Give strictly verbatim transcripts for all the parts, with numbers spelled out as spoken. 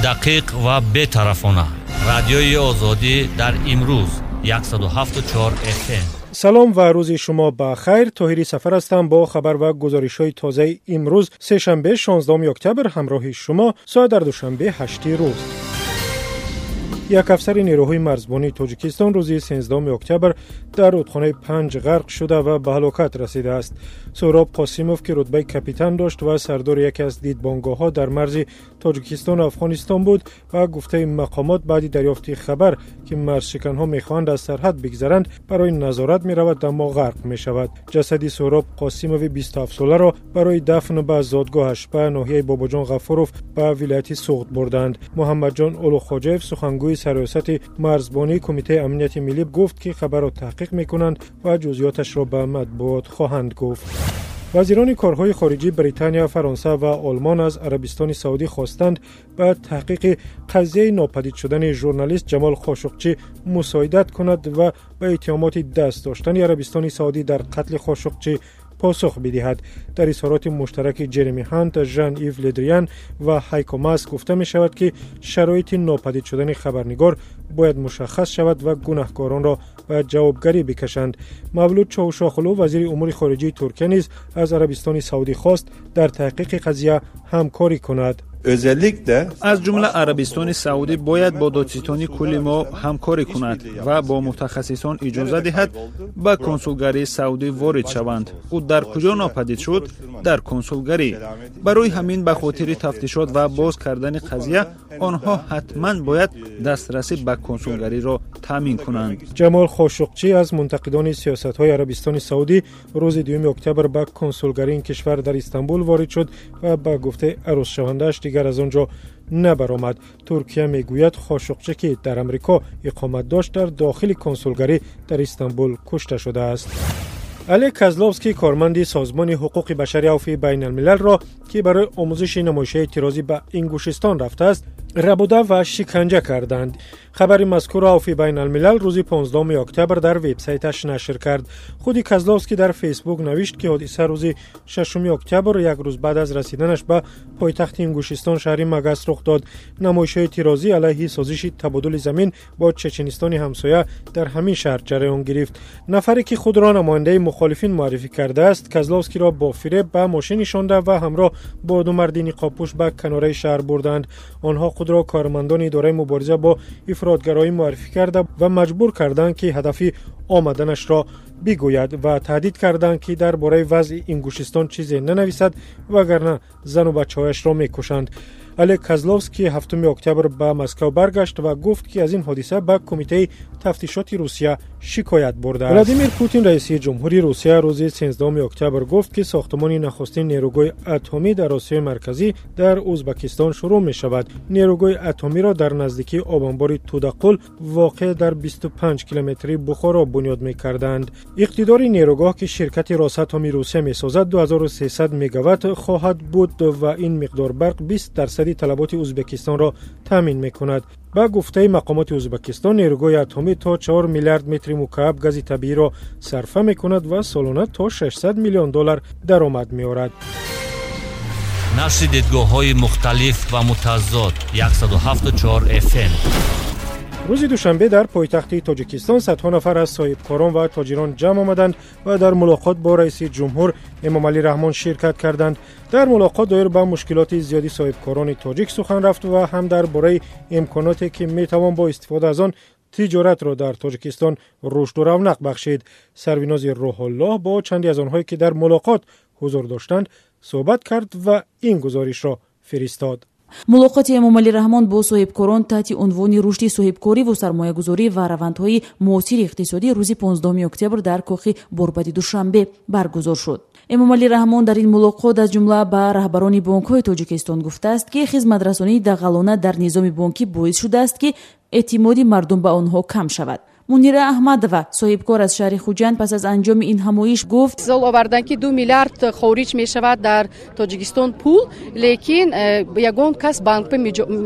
Дақиқ ва бетарафона. Радиои Озодӣ дар имрӯз яксаду ҳафту чор эф эм. Салом ва рӯзи шумо ба хайр. Тоҳири Сафар ҳастам бо хабар ва гузоришҳои тозаи имрӯз сешанбе шонздаҳуми октябр ҳамроҳи шумо соат дар душанбе ҳашти рӯз. Як афсари нерӯҳои марзбонии Тоҷикистон рӯзи сенздаҳуми октябр дар рудхонаи Панҷ ғарқ шуда ва ба ҳалокат расидааст. Суҳроб Қосимов, ки рутбаи капитан дошт ва сардори яке аз дидбонгоҳҳо дар марзи Тоҷикистон ва Афғонистон буд, ба гуфтаи мақомот баъди дарёфти хабар, ки марзшиканҳо мехоҳанд аз сарҳад бигзаранд, барои назорат меравад, аммо ғарқ мешавад. Ҷасади Суҳроб Қосимови бисту ҳафтсоларо барои дафн ба зодгоҳаш ба ноҳияи Бобоҷон Ғафуров ба вилояти Суғд бурданд. Муҳаммадҷон Улуғхоҷаев, сухангӯи сарриёсати марзбонии Кумитаи амнияти миллӣ, гуфт, ки хабарро таҳқиқ мекунанд ва ҷузъиёташро ба матбуот хоҳанд гуфт. Вазирони корҳои хориҷии Британия, Фаронса ва Олмон аз Арабистони Саудӣ хостанд ба таҳқиқи қазияи нопадид шудани журналист Ҷамол Хошуқчӣ мусоидат кунад ва ба иттиҳомоти даст доштани Арабистони Саудӣ дар қатли Хошуқчӣ посух бидиҳад. Дар изҳороти муштараки Ҷереми Ҳант, Жан Ив Ледриян ва Ҳайко Мас гуфта мешавад, ки шароити нопадид шудани хабарнигор бояд мушаххас шавад ва гунаҳкоронро ба ҷавобгарӣ бикашанд. Мавлуд Чавушоғлу, вазири умури хориҷии Туркия, низ аз Арабистони Саудӣ хост дар таҳқиқи қазия ҳамкорӣ кунад. Özellikle аз ҷумла Арабистони Саудӣ бояд бо додситони кулли мо ҳамкорӣ кунад ва бо мутахассисон иҷоза диҳад ба консулгарии Саудӣ ворид шаванд. Ӯ дар куҷо нопадид шуд? Дар консулгарӣ. Барои ҳамин ба хотири тафтишот ва боз кардани қазия онҳо ҳатман бояд дастрасӣ ба консулгариро таъмин кунанд. Ҷамол Хошуқчӣ аз мунтақидони сиёсатҳои Арабистони Саудӣ рӯзи дуюми октябр ба консулгарии ин кишвар дар Истанбул ворид шуд ва ба гуфтаи арӯзшавандааш дигар аз он ҷо набаромад. Туркия мегӯяд, Хошуқчӣ, ки дар Амрико иқомат дошт, дар дохили консулгарӣ дар Истанбул кушта шудааст. Олег Козловский, корманди созмони ҳуқуқи башари Авфи байналмилалро, ки барои омӯзиши намоишаи эътирозӣ ба Ингушистон рафтааст, рабуда ва шиканҷа карданд. Хабари мазкурро Авфи байналмилал рӯзи понздаҳуми октябр дар вебсайташ нашр кард. Худи Козловский дар Фейсбук навишт, ки ҳодиса рӯзи шашуми октябр, як рӯз баъд аз расиданаш ба пойтахти Ингушистон шаҳри Магас рух дод. Намоишҳои эътирозӣ алайҳи созиши табодули замин бо Чеченистони ҳамсоя дар ҳамин шаҳр ҷараён гирифт. Нафаре, ки худро намояндаи мухолифин муаррифӣ кардааст, Козловскиро бо фиреб ба мошин нишонда ва ҳамроҳ бо ду марди ниқобпӯш ба канораи шаҳр бурданд. Онҳо худро кормандони идораи мубориза бо ифротгароӣ муаррифӣ карда ва маҷбур карданд, ки ҳадафи омаданашро бигӯяд ва таҳдид карданд, ки дар бораи вазъи Ингушистон чизе нанависад, вагарна зану бачаҳояшро мекушанд. Олег Козловский ҳафтуми октябр ба Москва баргашт ва гуфт, ки аз ин ҳодиса ба Кумитаи тафтишоти Русия шикоят бурдааст. Владимир Путин, раиси ҷумҳури Русия, рӯзи сенздаҳуми октябр гуфт, ки сохтмони нахустин нерӯгоҳи атомӣ дар Осиёи Марказӣ дар Ӯзбекистон шурӯъ мешавад. Нерӯгоҳи атомиро дар наздикии обанбори Тудақул воқеъ дар бисту панҷ километри Бухоро бунёд мекарданд. Иқтидори нерӯгоҳ, ки ширкати Росатоми Русия месозад, ду ҳазору сесад мегаватт хоҳад буд ва ин миқдор барқ бист дарсади талаботи Ӯзбекистонро таъмин мекунад. Ба гуфтаи мақомоти Ӯзбекистон, нерӯгоҳи атомӣ то чор миллиард метри мукааб гази табииро сарфа мекунад ва солона то шашсад миллион доллар даромад меорад. Нашри дидгоҳҳои мухталиф ва мутазод яксаду ҳафту чор эф эм. Рӯзи душанбе дар пойтахти Тоҷикистон садҳо нафар аз соҳибкорон ва тоҷирон ҷамъ омаданд ва дар мулоқот бо раиси ҷумҳур Эмомалӣ Раҳмон ширкат карданд. Дар мулоқот доир ба мушкилоти зиёди соҳибкорони тоҷик сухан рафт ва ҳам дар бораи имконоте, ки метавон бо истифода аз он тиҷоратро дар Тоҷикистон рушду равнақ бахшид. Сарвинози Рӯҳуллоҳ бо чанде аз онҳое, ки дар мулоқот ҳузур доштанд, суҳбат кард ва ин гузоришро фиристод. Мулоқоти Эмомалӣ Раҳмон бо соҳибкорон таҳти унвони рушди соҳибкорӣ ва сармоягузорӣ ва равандҳои муосири иқтисодӣ рӯзи понздаҳуми октябр дар кохи Борбади Душанбе баргузор шуд. Эмомалӣ Раҳмон дар ин мулоқот аз ҷумла ба раҳбарони бонкҳои Тоҷикистон гуфтааст, ки хизматрасонии дағалона дар низоми бонкӣ боис шудааст, ки эътимоди мардум ба онҳо кам шавад. Мунира Аҳмадова, соҳибкор аз шаҳри Хуҷанд, пас аз анҷоми ин ҳамоиш гуфт: Мисол оварданд, ки ду миллиард хориҷ мешавад дар Тоҷикистон пул, лекин ягон кас банк ба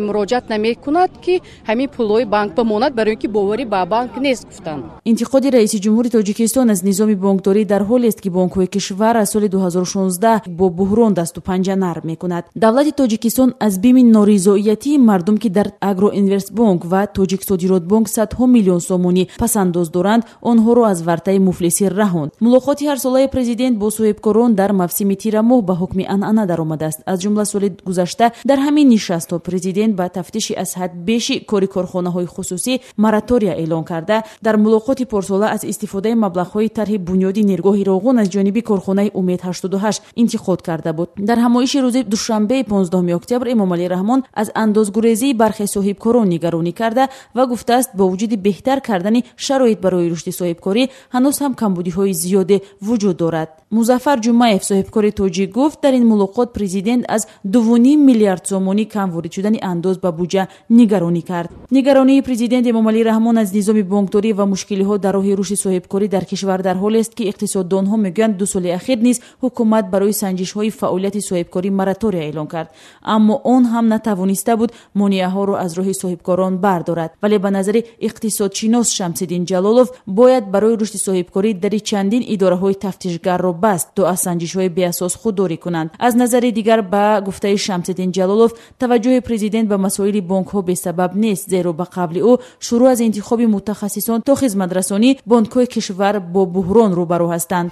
муроҷиат намекунад, ки ҳамин пулҳои банк бимонад, барои ин ки боварӣ ба банк нест, гуфтанд. Интиқоди раиси ҷумҳури Тоҷикистон аз низоми бонкдорӣ дар ҳолест, ки бонкҳои кишвар аз соли ду ҳазору шонздаҳ бо буҳрон дасту панҷа нарм мекунад. Давлати Тоҷикистон аз бими норизоиятии мардум, ки дар Агроинвестбонк ва Тоҷиксодиротбонк садҳо миллион сомонӣ пасандоз доранд, онҳоро аз вартаи муфлисӣ раҳонд. Мулоқоти ҳарсолаи президент бо соҳибкорон дар мавсими тирамоҳ ба ҳукми анъана даромадааст. Аз ҷумла соли гузашта дар ҳамин нишастҳо президент ба тафтиши аз ҳад беши кори корхонаҳои хусусӣ моратория эълон карда, дар мулоқоти порсола аз истифодаи маблағҳои тарҳи бунёди нергоҳи Роғун аз ҷониби корхонаи Умед ҳаштоду ҳашт интиқод карда буд. Дар ҳамоиши рӯзи душанбеи понздаҳуми октябр Эмомалӣ Раҳмон аз андозгурезии бархе соҳибкорон нигаронӣ карда ва гуфтааст, бо вуҷуди беҳтар кардани шароит барои рушди соҳибкорӣ ҳанӯз ҳам камбудиҳои зиёде вуҷуд дорад. Музаффар Ҷумаев, соҳибкори тоҷик, гуфт дар ин мулоқот президент аз дуву ним миллиард сомонӣ кам ворид шудани андоз ба буҷа нигаронӣ кард. Нигаронии президент Эмомалӣ Раҳмон аз низоми бонкдорӣ ва мушкилиҳо дар роҳи рушди соҳибкорӣ дар кишвар дар ҳолест, ки иқтисоддонҳо мегӯянд ду соли ахир низ ҳукумат барои санҷишҳои фаъолияти соҳибкорӣ моратория эълон кард, аммо он ҳам натавониста буд монеаҳоро аз роҳи соҳибкорон бардорад. Вале ба назари иқтисодшинос Шамсиддин Ҷалолов бояд барои рушди соҳибкорӣ дари чандин идораҳои тафтишгарро баст, то аз санҷишҳои беасос худдорӣ кунанд. Аз назари дигар, ба гуфтаи Шамсиддин Ҷалолов, таваҷҷӯҳи президент ба масоили бонкҳо бесабаб нест, зеро ба қавли ӯ шурӯъ аз интихоби мутахассисон то хизматрасонӣ бонкҳои кишвар бо буҳрон рӯбарӯ ҳастанд.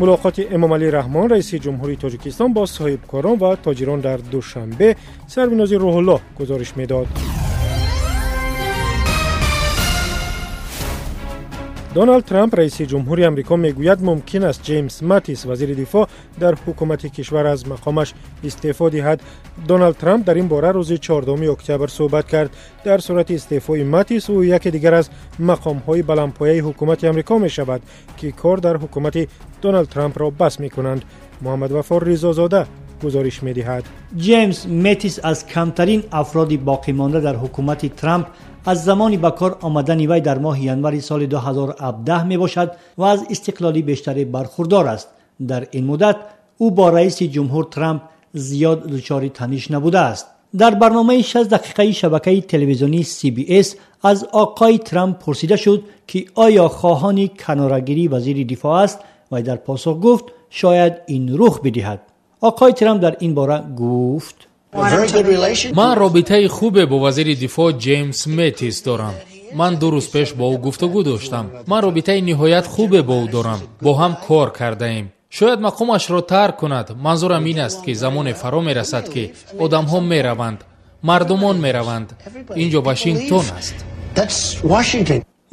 Мулоқоти Эмомалӣ Раҳмон, раиси ҷумҳурии Тоҷикистон, бо соҳибкорон ва тоҷирон дар Душанбе Сарвинози Рӯҳуллоҳ гузориш медод. Доналд Трамп, раиси ҷумҳури Амрико, мегӯяд мумкин аст Ҷеймс Матис, вазири дифоъ дар ҳукумати кишвар, аз мақомаш истеъфо диҳад. Доналд Трамп дар ин бора рӯзи чордаҳуми октябр суҳбат кард. Дар сурати истеъфои Матис ӯ яке дигар аз мақомҳои баландпояи ҳукумати Амрико мешавад, ки кор дар ҳукумати Доналд Трампро бас мекунанд. Муҳаммадвафор Ризозода гузориш медиҳад. Ҷеймс Матис аз камтарин афроди боқимонда дар ҳукумати Трамп аз замони ба кор омадани вай дар моҳи январи соли ду ҳазору ҳабдаҳ мебошад ва аз истиқлоли бештаре бархурдор аст. Дар ин муддат ӯ бо раиси ҷумҳур Трамп зиёд дучори таниш набудааст. Дар барномаи шаст дақиқаи шабакаи телевизионии Си Би Эс аз оқои Трамп пурсида шуд, ки оё хоҳони канорагирии вазири дифоъ аст ва дар посух гуфт шояд ин рух бидиҳад. оқои Трамп дар ин бора гуфт: ман робитаи хубе бо вазири дифоъ Ҷеймс Метис дорам. Ман ду рӯз пеш бо ӯ гуфтугӯ доштам. Ман робитаи ниҳоят хубе бо ӯ дорам. Бо ҳам кор кардаем. Шояд мақомашро тарк кунад. Манзурам ин аст, ки замоне фаро мерасад, ки одамҳо мераванд, мардумон мераванд. Инҷо Вашингтон аст.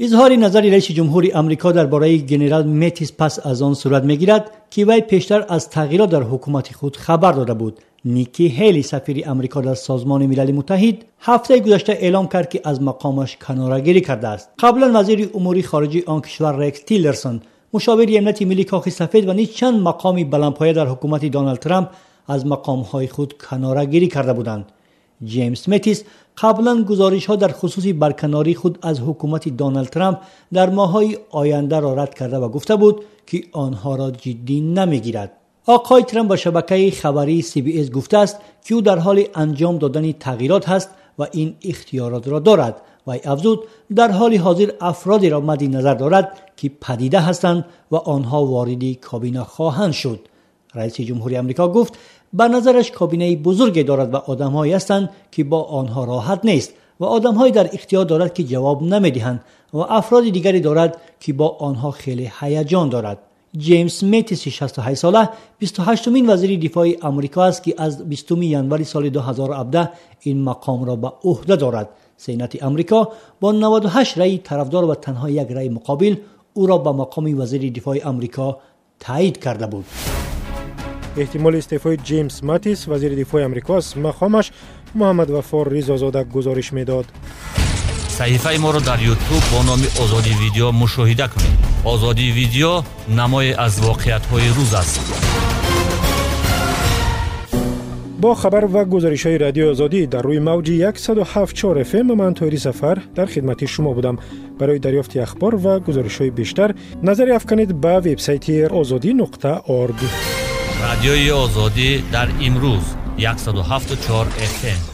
Изҳори назари раиси ҷумҳури Амрико дар бораи генерал Метис пас аз он сурат мегирад, ки вай пештар аз тағйирот дар ҳукумати худ хабар дода буд. Ники Ҳейли, сафири Амрико дар Созмони Милали Муттаҳид, ҳафтаи гузашта эълом кард, ки аз мақомаш канорагирӣ кардааст. Қаблан вазири умури хориҷии он кишвар Рекс Тиллерсон, мушовири амнияти миллии Кохи Сафед ва низ чанд мақоми баландпоя дар ҳукумати Доналд Трамп аз мақомҳои худ канорагирӣ карда буданд. Ҷеймс Метис қаблан гузоришҳо дар хусуси барканории худ аз ҳукумати Доналд Трамп дар моҳҳои ояндаро рад карда ва гуфта буд, ки онҳоро ҷиддӣ намегирад. оқои Трамп ба шабакаи хабарии Си Би Эс гуфтааст, ки ӯ дар ҳоли анҷом додани тағйирот ҳаст ва ин ихтиёротро дорад. Вай афзуд, дар ҳоли ҳозир афродеро мадди назар дорад, ки падида ҳастанд ва онҳо вориди кабина хоҳанд шуд. Раиси ҷумҳури Амрико гуфт, ба назараш кабинаи бузурге дорад ва одамҳое ҳастанд, ки бо онҳо роҳат нест ва одамҳое дар ихтиёр дорад, ки ҷавоб намедиҳанд ва афроди дигаре дорад, ки бо онҳо хеле ҳаяҷон дорад. Ҷеймс Метис шасту ҳашт сола бисту ҳаштумин вазири дифои Амрико аст, ки аз бистуми январи соли ду ҳазору ҳабдаҳ ин мақомро ба ӯҳда дорад. Сенати Амрико бо наваду ҳашт раъи тарафдор ва танҳо як раъи муқобил ӯро ба мақоми вазири дифои Амрико таъйид карда буд. Эҳтимоли истеъфои Ҷеймс Матис, вазири дифои Амрико, аз мақомаш Муҳаммадвафор Ризозода гузориш медод. Саҳифаи моро дар Ютуб бо номи Озодӣ Видео мушоҳида кунед. Озодӣ Видео намое аз воқеиятҳои рӯз аст. Бо хабар ва гузоришҳои Радиои Озодӣ дар рӯи мавҷи яксаду ҳафт чор эф эм ман Тоҳири Сафар дар хидмати шумо будам. Барои дарёфти ахбор ва гузоришҳои бештар назари афканед ба вебсайти озодӣ нуқта орг. Радиои Озодӣ дар имрӯз яксаду ҳафту чор эф эм.